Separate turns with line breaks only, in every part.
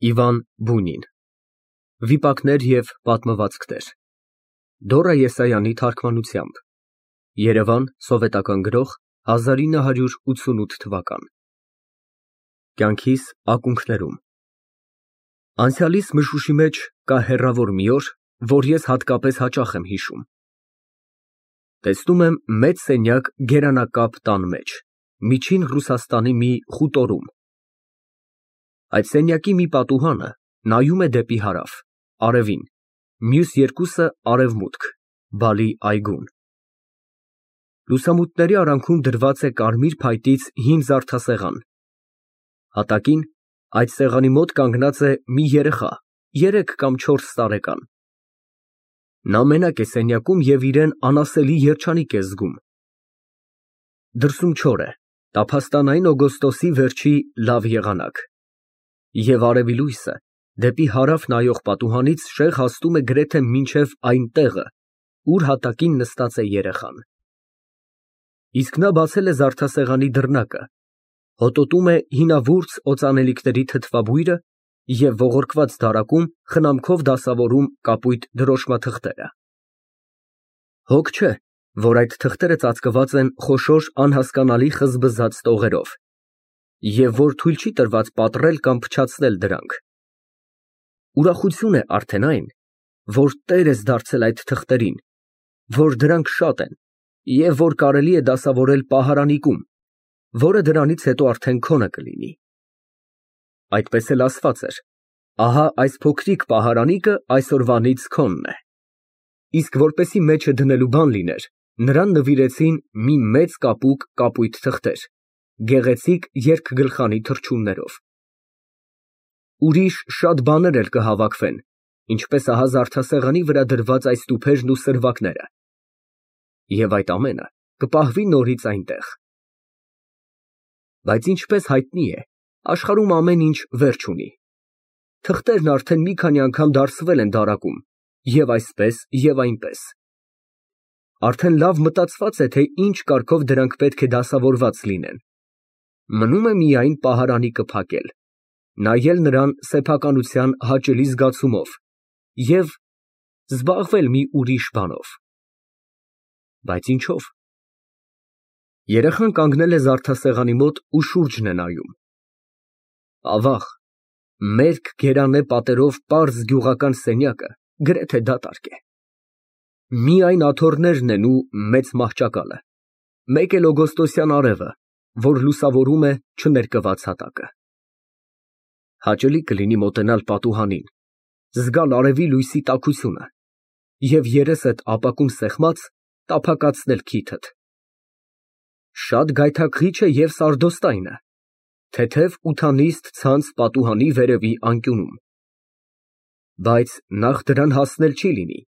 Իվան Բունին Վիպակներ և պատմվածքներ Դորա Եսայանի թարգմանությամբ Երևան Սովետական Գրող 1988 թվական Կյանքիս ակունքներում Անցյալիս մշուշի մեջ կա հեռավոր մի օր, որ ես հատկապես հաճախ եմ հիշում։ Տեսնում եմ մեծ սենյակ գերանակապ տան մեջ, միջին Ռուսաստանի մի խուտորում։ Այդ սենյակի մի պատուհանը նայում է դեպի հարավ, արևին, մյուս երկուսը արևմուտք, բալի այգուն։ Լուսամուտների արանքում դրված է կարմիր փայտից հին զարդասեղան։ Հատակին այդ սեղանի մոտ կանգնած է մի երեխա, 3 կամ 4 տարեկան։ Նա մենակ է սենյակում և իրեն անասելի երջանիկ է զգում։ Դրսում չոր է, տափաստանային օգոստոսի վերջի լավ եղանակ, և արևի լույսը դեպի հարավ նայող պատուհանից շեղ հասնում է գրեթե մինչև այն տեղը, ուր հատակին նստած է երեխան։ Իսկ նա բացել է զարդասեղանի դռնակը, հոտոտում է հինավուրց օծանելիքների թթվաբույրը և ողորկված դարակում խնամքով դասավորում կապույտ դրոշմաթղթերը։ Հոգ չէ, որ այդ թղթերը ծածկված են խոշոր անհասկանալի խզբզած տողերով, և որ թույլ չի տրված պատռել կամ փչացնել դրանք։ Ուրախություն է արդեն այն, որ տեր ես դարձել այդ թղթերին, որ դրանք շատ են և որ կարելի է դասավորել պահարանիկում, որը դրանից հետո արդեն քոնը կլինի։ Այդպես էլ ասված էր. ահա այս փոքրիկ պահարանիկը այսօրվանից քոնն է։ Իսկ որպեսզի մեջը դնելու բան լիներ, նրան նվիրեցին մի մեծ կապուկ կապույտ թղթեր, գեղեցիկ երկգլխանի թռչուններով։ Ուրիշ շատ բաներ էլ կհավաքվեն, ինչպես ահա զարդասեղանի վրա դրված այս տուփերն ու սրվակները, և այդ ամենը կպահվի նորից այնտեղ։ Բայց ինչպես հայտնի է, աշխարհում ամեն ինչ վերջ ունի։ Թղթերն արդեն մի քանի անգամ դարսվել են դարակում, և այսպես, և այնպես։ Արդեն լավ մտածված է, թե ինչ կարգով դրանք պետք է դասավորված լինեն։ Մնում է միայն պահարանիկը փակել, նայել նրան սեփականության հաճելի զգացումով և զբաղվել մի ուրիշ բանով։ Բայց ինչո՞վ։ Երեխան կանգնել է զարդասեղանի մոտ ու շուրջն է նայում։ Ավաղ, մերկ գերանե պատերով պարզ գյուղական սենյակը գրեթե դատարկ է։ Միայն աթոռներն են ու մեծ մահճակալը, մեկ էլ օգոստոսյան արևը, որ լուսավորում է չներկված հատակը։ Հաճելի կլինի մոտենալ պատուհանին, զգալ արևի լույսի տաքությունը և երեսդ ապակում սեղմած տափակացնել քիթդ։ Շատ գայթակղիչ է և սարդոստայնը, թեթև ութանիստ ցանց պատուհանի վերևի անկյունում։ Բայց նախ դրան հասնել չի լինի,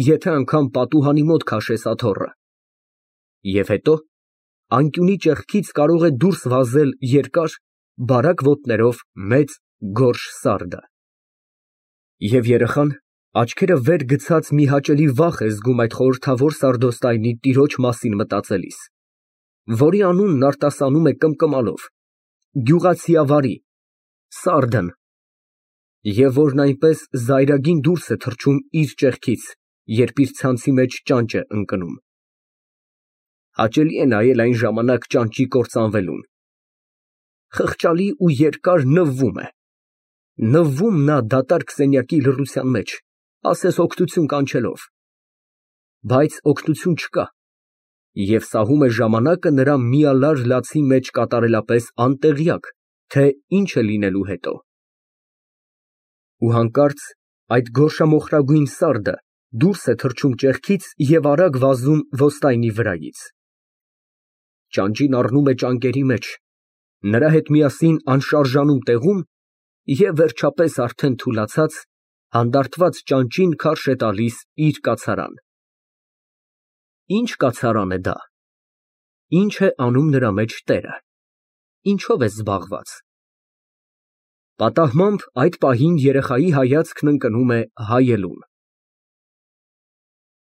եթե անգամ պատուհանի մոտ քաշես աթոռը, և հետո անկյունի ճեղքից կարող է դուրս վազել երկար, բարակ ոտներով մեծ գորշ սարդը։ Եվ երեխան, աչքերը վեր գցած մի հաճելի վախ է զգում այդ խորհրդավոր սարդոստայնի տիրոջ մասին մտածելիս, որի անունն արտասանում է կմկմալով, գյուղացիավարի, սարդն, և որն այնպես զայրագին դուրս է թռչում իր ճեղքից, երբ իր ցանցի մեջ ճանճ է ընկնում։ Հաճելի է նայել այն ժամանակ ճանճի կործանվելուն։ Խղճալի ու երկար նվվում է։ Նվվում նա դատարկ սենյակի լռության մեջ, ասես օգնություն կանչելով։ Բայց օգնություն չկա, և սահում է ժամանակը նրա միալար լացի մեջ կատարելապես անտեղյակ, թե ինչ է լինելու հետո։ Ու հանկարծ այդ գորշամոխրագույն սարդը դուրս է թռչում ճեղքից և արագ վազում ոստայնի վրայից։ Ճանճին առնում է ճանկերի մեջ, նրա հետ միասին անշարժանում տեղում և վերջապես արդեն թուլացած, հանդարտված ճանճին քարշ է տալիս իր կացարան։ Ի՞նչ կացարան է դա։ Ի՞նչ է անում նրա մեջ տերը։ Ինչո՞վ է զբաղված։ Պատահմամբ այդ պահին երեխայի հայացքն ընկնում է հայելուն։